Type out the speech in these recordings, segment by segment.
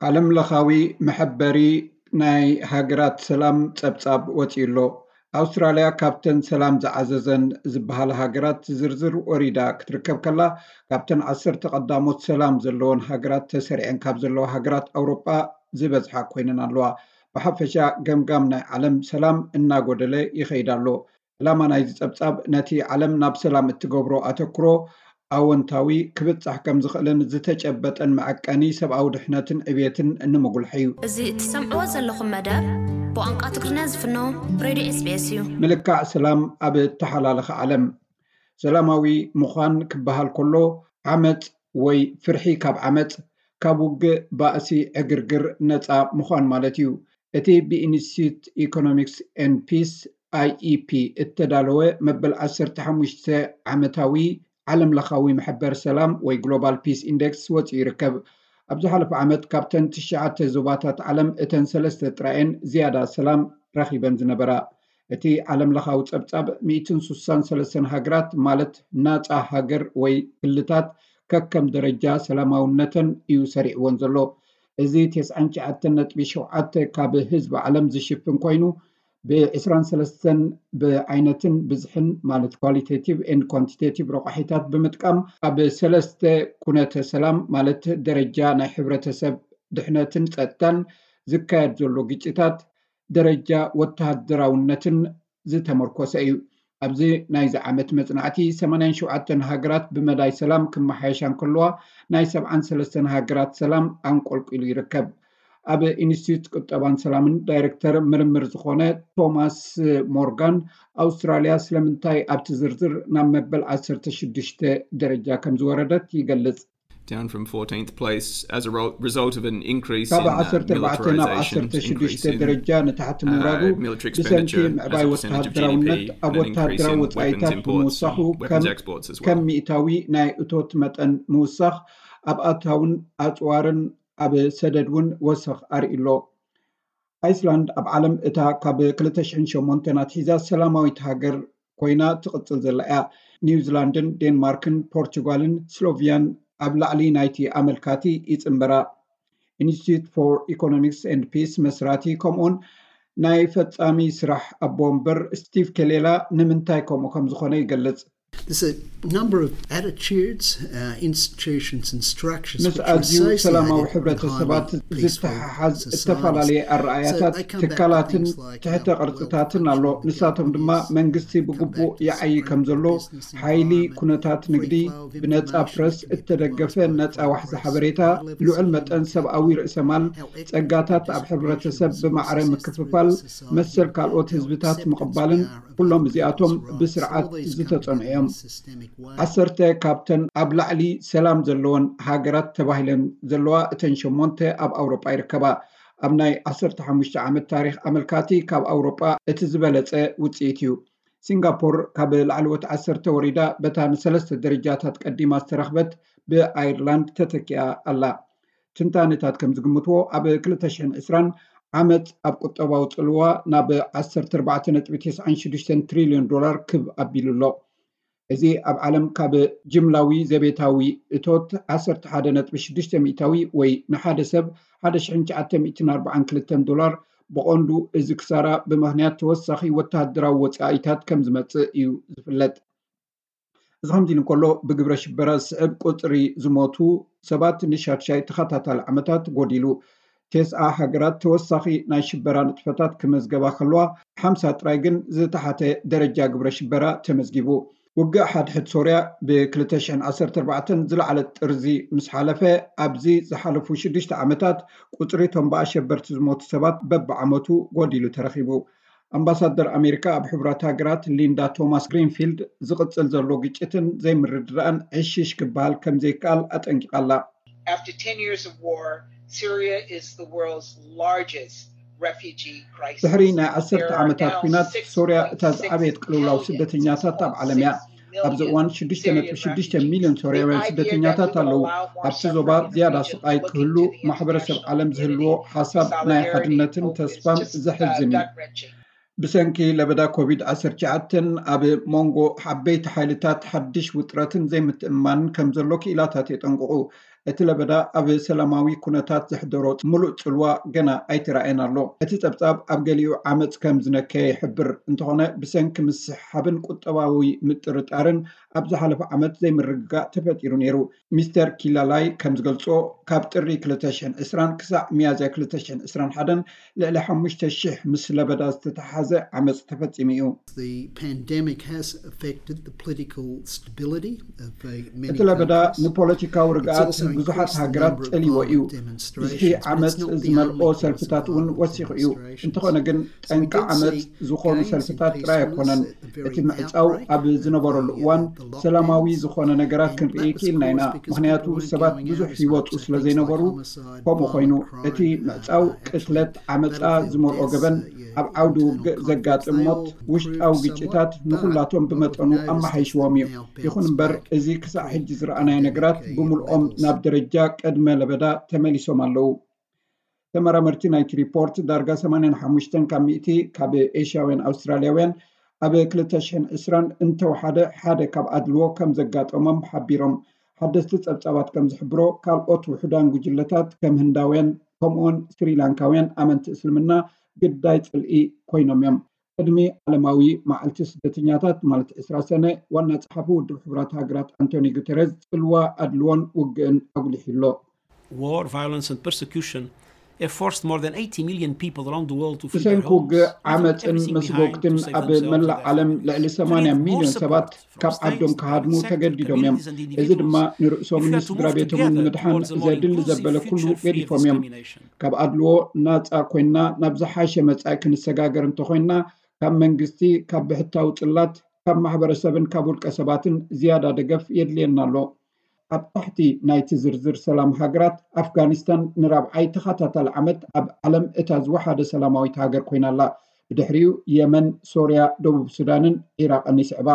ዓለም ለኻዊ መሐበሪ ናይ ሃገራት ሰላም ጸብጻብ ወጺኡ ኣሎ። ኣውስትራልያ ካብተን ሰላም ዝዓዘዘን ዝበሃላ ሃገራት ዝርዝር ወሪዳ ክትርከብ ከላ፣ ካብተን ዓሰርተ ቀዳሞት ሰላም ዘለወን ሃገራት ተሰሪዐን ካብ ዘለዋ ሃገራት ኣውሮጳ ዝበዝሓ ኮይነን ኣለዋ። ብሓፈሻ ገምጋም ናይ ዓለም ሰላም እናጎደለ ይኸይድ ኣሎ። ዕላማ ናይዚ ጸብጻብ ነቲ ዓለም ናብ ሰላም እትገብሮ ኣተኩሮ ኣወንታዊ ክብጻሕ ከም ዝኽእልን ዝተጨበጠን መዐቀኒ ሰብኣዊ ድሕነትን ዕብየትን ንምጉልሐ እዩ። እዚ እትሰምዕዎ ዘለኹም መደብ ብቋንቋ ትግርኛ ዝፍኖ ሬድዮ ኤስቢኤስ እዩ። ምልካዕ ሰላም ኣብ እተሓላለኸ ዓለም ሰላማዊ ምዃን ክበሃል ከሎ ዓመጽ ወይ ፍርሒ ካብ ዓመጽ፣ ካብ ውግእ፣ ባእሲ፣ ዕግርግር ነጻ ምዃን ማለት እዩ። እቲ ብኢንስቲትዩት ኢኮኖሚክስ ኤንድ ፒስ፣ ኣይኢፒ፣ እተዳለወ መበል ዓሰርተ ሓሙሽተ ዓመታዊ ዓለም ለኻዊ መሐበር ሰላም ወይ ግሎባል ፒስ ኢንዴክስ ወጺኡ ይርከብ። ኣብ ዝሓለፈ ዓመት ካብተን ትሽዓተ ዞባታት ዓለም እተን ሰለስተ ጥራየን ዝያዳ ሰላም ረኺበን ዝነበራ። እቲ ዓለም ለኻዊ ጸብጻብ ሚእትን ስሳን ሰለስተን ሃገራት ማለት ናጻ ሃገር ወይ ክልታት ከከም ደረጃ ሰላማውነተን እዩ ሰሪዕወን ዘሎ። እዚ ተስዓን ትሽዓተን ነጥቢ ሸውዓተ ካብ ህዝቢ ዓለም ዝሽፍን ኮይኑ፣ ብ ዕስራን ሰለስተን ብዓይነትን ብዝሕን ማለት ኳሊቴቲቭ ኤንድ ኳንቲቴቲቭ ረቋሒታት ብምጥቃም ኣብ ሰለስተ ኩነተ ሰላም ማለት ደረጃ ናይ ሕብረተሰብ ድሕነትን ጸጥታን ዝካየድ ዘሎ ግጭታት ደረጃ ወተሃደራውነትን ዝተመርኮሰ እዩ። ኣብዚ ናይዚ ዓመት መጽናዕቲ ሰማንያን ሸውዓተን ሃገራት ብመዳይ ሰላም ክመሓየሻ እንከለዋ ናይ ሰብዓን ሰለስተን ሃገራት ሰላም ኣንቆልቂሉ ይርከብ። ኣብ ኢንስቲትዩት ቁጠባን ሰላምን ዳይሬክተር ምርምር ዝኾነ ቶማስ ሞርጋን ኣውስትራልያ ስለምንታይ ኣብቲ ዝርዝር ናብ መበል ዓሰርተ ሽዱሽተ ደረጃ ከም ዝወረደት ይገልጽ። Down from fourteenth place as a result of an increase in ካብ ዓሰርተ ኣርባዕተ ናብ ዓሰርተ ሽዱሽተ ደረጃ ንታሕቲ ምውራዱ ብሰንኪ ምዕባይ ወተሃደራውነት ኣብ ወተሃደራዊ ወፃኢታት ብምውሳኹ ከም ሚእታዊ ናይ እቶት መጠን ምውሳኽ ኣብ ኣታውን ኣፅዋርን ኣብ ሰደድ እውን ወሰኽ ኣርእዩ ኣሎ። ኣይስላንድ ኣብ ዓለም እታ ካብ ክልተ ሽሕን ሸሞንተን ኣትሒዛ ሰላማዊት ሃገር ኮይና ትቕጽል ዘላ እያ። ኒውዚላንድን ዴንማርክን ፖርቹጋልን ስሎቪያን ኣብ ላዕሊ ናይቲ ኣመልካቲ ይጽንበራ። ኢንስቲትዩት ፎር ኢኮኖሚክስ ኤንድ ፒስ መስራቲ ከምኡውን ናይ ፈጻሚ ስራሕ ኣቦ ወንበር ስቲቭ ኬሌላ ንምንታይ ከምኡ ከም ዝኾነ ይገልጽ። There's a number of attitudes, uh, institutions and structures ምስ ኣዝዩ ሰላማዊ ሕብረተሰባት ዝተሓሓዝ ዝተፈላለየ ኣረኣያታት ትካላትን ትሕተ ቅርጽታትን ኣሎ። ንሳቶም ድማ መንግስቲ ብግቡእ ይዓዪ ከም ዘሎ፣ ሓይሊ ኩነታት ንግዲ፣ ብነጻ ፕረስ እተደገፈ ነጻ ዋሕዚ ሓበሬታ፣ ልዑል መጠን ሰብኣዊ ርእሰማል፣ ጸጋታት ኣብ ሕብረተሰብ ብማዕረ ምክፍፋል፣ መሰል ካልኦት ህዝብታት ምቕባልን ኩሎም እዚኣቶም ብስርዓት ዝተጸንዑ እዮም። ዓሰርተ ካብተን ኣብ ላዕሊ ሰላም ዘለወን ሃገራት ተባሂለን ዘለዋ እተን ሸሞንተ ኣብ ኣውሮጳ ይርከባ። ኣብ ናይ ዓሰርተ ሓሙሽተ ዓመት ታሪኽ ኣመልካቲ ካብ ኣውሮጳ እቲ ዝበለጸ ውጽኢት እዩ። ሲንጋፖር ካብ ላዕለዎት ዓሰርተ ወሪዳ በታ ንሰለስተ ደረጃታት ቀዲማ ዝተረኽበት ብኣየርላንድ ተተኪኣ ኣላ። ትንታነታት ከም ዝግምትዎ ኣብ ክልተ ሽሕን ዕስራን ዓመት ኣብ ቁጠባዊ ጽልዋ ናብ ዓሰርተ ኣርባዕተ ነጥቢ ተስዓን ሽዱሽተን ትሪልዮን ዶላር ክብ ኣቢሉ ኣሎ። እዚ ኣብ ዓለም ካብ ጅምላዊ ዘቤታዊ እቶት ዓሰርተ ሓደ ነጥቢ ሽዱሽተ ሚእታዊ ወይ ንሓደ ሰብ ሓደ ሽሕን ትሽዓተ ሚእትን ኣርባዓን ክልተን ዶላር ብቐንዱ እዚ ክሳራ ብምኽንያት ተወሳኺ ወተሃደራዊ ወጻኢታት ከም ዝመጽእ እዩ ዝፍለጥ። እዚ ከምዚ ኢሉ እንከሎ ብግብረ ሽበራ ዝስዕብ ቁጽሪ ዝሞቱ ሰባት ንሻድሻይ ተኸታታሊ ዓመታት ጎዲሉ። ቴስዓ ሃገራት ተወሳኺ ናይ ሽበራ ንጥፈታት ክመዝገባ ከለዋ ሓምሳ ጥራይ ግን ዝተሓተ ደረጃ ግብረ ሽበራ ተመዝጊቡ። ውግእ ሓድሕድ ሶርያ ብ ክልተ ሽሕን ዓሰርተ ኣርባዕተን ዝለዓለ ጥርዚ ምስ ሓለፈ ኣብዚ ዝሓለፉ ሽዱሽተ ዓመታት ቁጽሪ እቶም ብኣሸበርቲ ዝሞቱ ሰባት በብዓመቱ ጎዲሉ ተረኺቡ። ኣምባሳደር ኣሜሪካ ኣብ ሕቡራት ሃገራት ሊንዳ ቶማስ ግሪንፊልድ ዝቕጽል ዘሎ ግጭትን ዘይምርድዳእን ዕሽሽ ክበሃል ከም ዘይከኣል ኣጠንቂቓ ኣላ። After ten years of war, Syria is the world's largest refugee crisis. ድሕሪ ናይ ዓሰርተ ዓመታት ኲናት ሶርያ እታ ዝዓበየት ቅልውላው ስደተኛታት ኣብ ዓለም እያ። ኣብዚ እዋን ሽዱሽተ ነጥቢ ሽዱሽተ ሚልዮን ሶርያውያን ስደተኛታት ኣለዉ። ኣብቲ ዞባ ዝያዳ ስቓይ ክህሉ ማሕበረሰብ ዓለም ዝህልዎ ሓሳብ ናይ ሓድነትን ተስፋን ዘሕዝን እዩ። ብሰንኪ ለበዳ ኮቪድ ዓሰርተ ትሽዓተ ኣብ መንጎ ዓበይቲ ሓይልታት ሓድሽ ውጥረትን ዘይምትእምማንን ከም ዘሎ ክኢላታት የጠንቅቑ። እቲ ለበዳ ኣብ ሰላማዊ ኩነታት ዘሕደሮ ምሉእ ጽልዋ ገና ኣይተራእየን ኣሎ። እቲ ጸብጻብ ኣብ ገሊኡ ዓመጽ ከም ዝነከየ ይሕብር፣ እንተኾነ ብሰንኪ ምስሕሓብን ቁጠባዊ ምጥርጣርን ኣብ ዝሓለፈ ዓመት ዘይምርግጋእ ተፈጢሩ ነይሩ። ሚስተር ኪላላይ ከም ዝገልጾ፣ ካብ ጥሪ ክልተ ሽሕን ዕስራን ክሳዕ ሚያዝያ ክልተ ሽሕን ዕስራን ሓደን ልዕሊ ሓሙሽተ ሽሕ ምስ ለበዳ ዝተተሓሓዘ ዓመጽ ተፈጺሙ እዩ። The pandemic has affected the political stability of uh, many እቲ ለበዳ countries. ንፖለቲካዊ ርግኣት ብዙሓት ሃገራት ጸልይዎ እዩ። ብዝሒ ዓመፅ ዝመልኦ ሰልፍታት እውን ወሲኹ እዩ። እንተኾነ ግን ጠንቂ ዓመፅ ዝኾኑ ሰልፍታት ጥራይ ኣይኮነን። እቲ ምዕፃው ኣብ ዝነበረሉ እዋን ሰላማዊ ዝኾነ ነገራት ክንርኢ ክኢልና ኢና። ምኽንያቱ ሰባት ብዙሕ ይወፁ ስለ ዘይነበሩ ከምኡ ኮይኑ። እቲ ምዕፃው ቅትለት፣ ዓመፃ ዝመልኦ ገበን፣ ኣብ ዓውዲ ውግእ ዘጋጥም ሞት፣ ውሽጣዊ ግጭታት ንኹላቶም ብመጠኑ ኣመሓይሽዎም እዩ። ይኹን እምበር እዚ ክሳዕ ሕጂ ዝረኣናዮ ነገራት ብምልኦም ናብ ደረጃ ቅድመ ለበዳ ተመሊሶም ኣለዉ። ተመራመርቲ ናይቲ ሪፖርት ዳርጋ ሰማንያን ሓሙሽተን ካብ ሚእቲ ካብ ኤሽያውያን ኣውስትራልያውያን ኣብ ክልተ ሽሕን ዕስራን እንተወሓደ ሓደ ካብ ኣድልዎ ከም ዘጋጠሞም ሓቢሮም። ሓደስቲ ጸብጻባት ከም ዝሕብሮ ካልኦት ውሑዳን ጉጅለታት ከም ህንዳውያን ከምኡውን ስሪላንካውያን ኣመንቲ እስልምና ግዳይ ጽልኢ ኮይኖም እዮም። ቅድሚ ዓለማዊ መዓልቲ ስደተኛታት ማለት ዕስራ ሰነ ዋና ጸሓፊ ውድብ ሕቡራት ሃገራት ኣንቶኒ ጉተረዝ ጽልዋ ኣድልዎን ውግእን ኣጉሊሑ ኣሎ። War, violence, and persecution have forced more than eighty million people around the world to flee their ብሰንኪ ውግእ homes, leaving ዓመፅን everything behind መስጎግትን to save ኣብ themselves and መላእ their ዓለም families. ልዕሊ We need ሰማንያ more ሚልዮን ሰባት support from ካብ ዓዶም states, ክሃድሙ private sector, ተገዲዶም እዮም። communities, and እዚ ድማ individuals. If we ንርእሶምን are ንስድራ to move ቤቶምን together ንምድሓን towards a more ዘድሊ inclusive ዘበለ ኩሉ future free of ገዲፎም እዮም። discrimination. ካብ ኣድልዎ ናፃ ኮይንና ናብ ዝሓሸ መጻኢ ክንሰጋገር እንተኮይንና ካብ መንግስቲ፣ ካብ ብሕታዊ ጽላት፣ ካብ ማሕበረሰብን ካብ ውልቀ ሰባትን ዝያዳ ደገፍ የድልየና ኣሎ። ኣብ ታሕቲ ናይቲ ዝርዝር ሰላም ሃገራት ኣፍጋኒስታን ንራብዓይ ተኸታታሊ ዓመት ኣብ ዓለም እታ ዝወሓደ ሰላማዊት ሃገር ኮይና ኣላ። ብድሕሪኡ የመን፣ ሶርያ፣ ደቡብ ሱዳንን ዒራቕን ይስዕባ።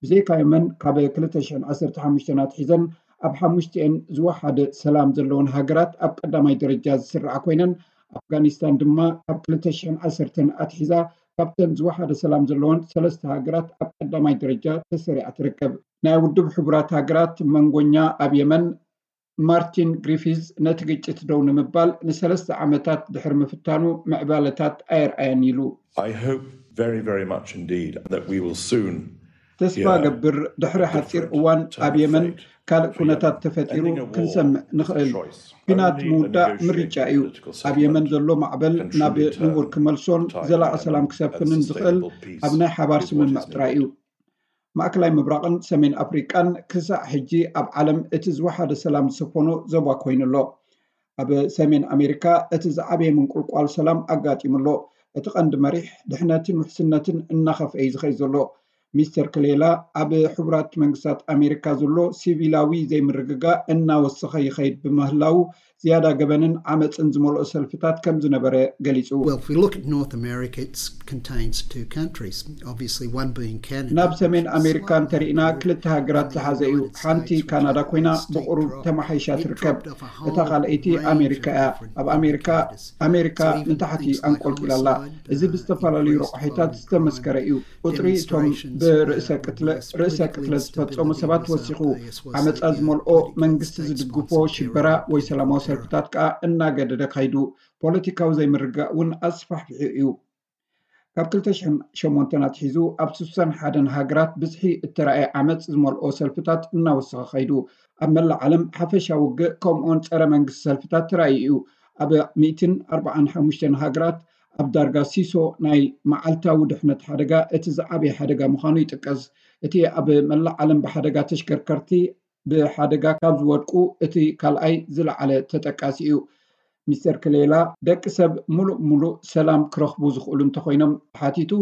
ብዘይካ የመን ካብ ክልተ ሽሕን ዓሰርተ ሓሙሽተን ኣትሒዘን ኣብ ሓሙሽቲኤን ዝወሓደ ሰላም ዘለወን ሃገራት ኣብ ቀዳማይ ደረጃ ዝስርዓ ኮይነን ኣፍጋኒስታን ድማ ካብ ክልተ ሽሕን ዓሰርተን ኣትሒዛ ካብተን ዝወሓደ ሰላም ዘለወን ሰለስተ ሃገራት ኣብ ቀዳማይ ደረጃ ተሰሪዓ ትርከብ። ናይ ውድብ ሕቡራት ሃገራት መንጎኛ ኣብ የመን ማርቲን ግሪፊዝ ነቲ ግጭት ደው ንምባል ንሰለስተ ዓመታት ድሕሪ ምፍታኑ ምዕባለታት ኣየርኣየን ኢሉ። I hope very, very much indeed that we will soon ተስፋ ገብር ድሕሪ ሓፂር እዋን ኣብ የመን ካልእ ኩነታት ተፈጢሩ ክንሰምዕ ንኽእል። ኲናት ምውዳእ ምርጫ እዩ። ኣብ የመን ዘሎ ማዕበል ናብ ንቡር ክመልሶን ዘላቒ ሰላም ክሰፍንን ዝኽእል ኣብ ናይ ሓባር ስምምዕ ጥራይ እዩ። ማእከላይ ምብራቕን ሰሜን ኣፍሪቃን ክሳዕ ሕጂ ኣብ ዓለም እቲ ዝወሓደ ሰላም ዝሰፈኖ ዞባ ኮይኑ ኣሎ። ኣብ ሰሜን ኣሜሪካ እቲ ዝዓበየ ምንቁልቋል ሰላም ኣጋጢሙ ኣሎ። እቲ ቀንዲ መሪሕ ድሕነትን ውሕስነትን እናኸፍአ እዩ ዝኸይድ ዘሎ። ሚስተር ክሌላ ኣብ ሕቡራት መንግስታት ኣሜሪካ ዘሎ ሲቪላዊ ዘይምርግጋእ እናወሰኸ ይኸይድ ብምህላው ዝያዳ ገበንን ዓመፅን ዝመልኦ ሰልፍታት ከም ዝነበረ ገሊፁ። Well, if we look at North America, it contains two countries. Obviously, one being Canada. ናብ ሰሜን ኣሜሪካ እንተሪእና ክልተ ሃገራት ዝሓዘ እዩ። ሓንቲ ካናዳ ኮይና ብቕሩብ ተመሓይሻ ትርከብ። እታ ካልኣይቲ ኣሜሪካ እያ። ኣብ ኣሜሪካ ኣሜሪካ ንታሕቲ ኣንቆልቂላ ኣላ። እዚ ብዝተፈላለዩ ረቋሒታት ዝተመስከረ እዩ። ቁፅሪ እቶም ብርእሰ ቅትለት ዝፈፀሙ ሰባት ወሲኹ። ዓመፃ ዝመልኦ መንግስቲ ዝድግፎ ሽበራ ወይ ሰላማዊ ሰልፍታት ከዓ እናገደደ ካይዱ። ፖለቲካዊ ዘይምርግጋእ እውን ኣስፋሕፊሑ እዩ። ካብ ክልተ ሽሕን ሸሞንተን ኣትሒዙ ኣብ ስሳን ሓደን ሃገራት ብዝሒ እተራእየ ዓመፅ ዝመልኦ ሰልፍታት እናወሰኸ ከይዱ። ኣብ መላእ ዓለም ሓፈሻዊ ውግእ ከምኡውን ፀረ መንግስቲ ሰልፍታት ተራእዩ እዩ። ኣብ ሚእትን ኣርባዓን ሓሙሽተን ሃገራት ኣብ ዳርጋ ሲሶ ናይ መዓልታዊ ድሕነት ሓደጋ እቲ ዝዓበየ ሓደጋ ምዃኑ ይጥቀስ። እቲ ኣብ መላእ ዓለም ብሓደጋ ተሽከርከርቲ ብሓደጋ ካብ ዝወድቁ እቲ ካልኣይ ዝለዓለ ተጠቃሲ እዩ። ሚስተር ክሌላ ደቂ ሰብ ሙሉእ ሙሉእ ሰላም ክረኽቡ ዝኽእሉ እንተኾይኖም ተሓቲቱ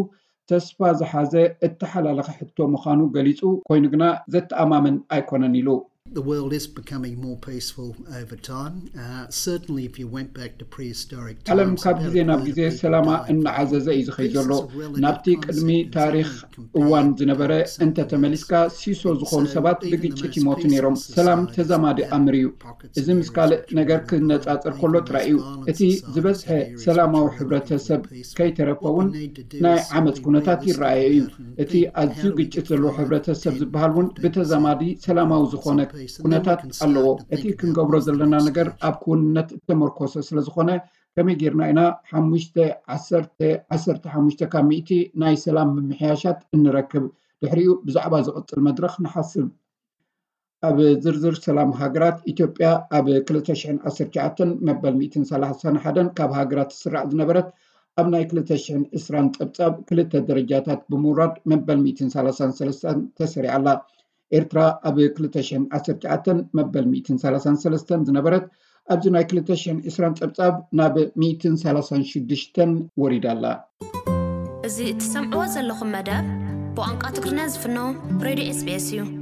ተስፋ ዝሓዘ እተሓላለኸ ሕቶ ምዃኑ ገሊፁ፣ ኮይኑ ግና ዘተኣማምን ኣይኮነን ኢሉ። The world is becoming more peaceful over time. Uh, certainly, if you went back to prehistoric ዓለም times, ካብ about ግዜ a ናብ third of ግዜ people ሰላማ died from እናዓዘዘ እዩ it. ዝኸይድ This ዘሎ። is a relative ናብቲ ቅድሚ concept in ታሪክ time compared እዋን to ዝነበረ some እንተ ተመሊስካ ሲሶ ዝኾኑ ሰባት ብግጭት ይሞቱ ነይሮም። ሰላም ተዛማዲ ኣምር እዩ። እዚ ምስ ካልእ ነገር ክነጻጸር ከሎ ጥራይ እዩ። እቲ ዝበዝሐ ሰላማዊ ሕብረተሰብ ከይተረፈ እውን ናይ ዓመፅ ኩነታት ይረኣየ እዩ። እቲ ኣዝዩ ግጭት ዘለዎ ሕብረተሰብ ዝበሃል እውን ብተዛማዲ ሰላማዊ ዝኾነ ኩነታት ኣለዎ። እቲ ክንገብሮ ዘለና ነገር ኣብ ክውንነት እተመርኮሰ ስለዝኾነ ከመይ ጌርና ኢና ሓሙሽተ ዓሰርተ ዓሰርተ ሓሙሽተ ካብ ሚእቲ ናይ ሰላም ምምሕያሻት እንረክብ? ድሕሪኡ ብዛዕባ ዝቕጽል መድረኽ ንሓስብ። ኣብ ዝርዝር ሰላም ሃገራት፣ ኢትዮጵያ ኣብ ክልተ ሽሕን ዓሰርተ ትሽዓተን መበል ሚእትን ሰላሳን ሓደን ካብ ሃገራት ትስራዕ ዝነበረት፣ ኣብ ናይ ክልተ ሽሕን ዕስራን ጸብጻብ ክልተ ደረጃታት ብምውራድ መበል ሚእትን ሰላሳን ሰለስተን ተሰሪዓ ኣላ። ኤርትራ ኣብ ክልተ ሽሕን ዓሰርተ ትሽዓተን መበል ሚእትን ሰላሳን ሰለስተን ዝነበረት፣ ኣብዚ ናይ ክልተ ሽሕን ዕስራን ጸብጻብ ናብ ሚእትን ሰላሳን ሽዱሽተን ወሪዳ ኣላ። እዚ እትሰምዕዎ ዘለኹም መደብ ብቋንቋ ትግርኛ ዝፍኖ ሬድዮ ኤስቢኤስ እዩ።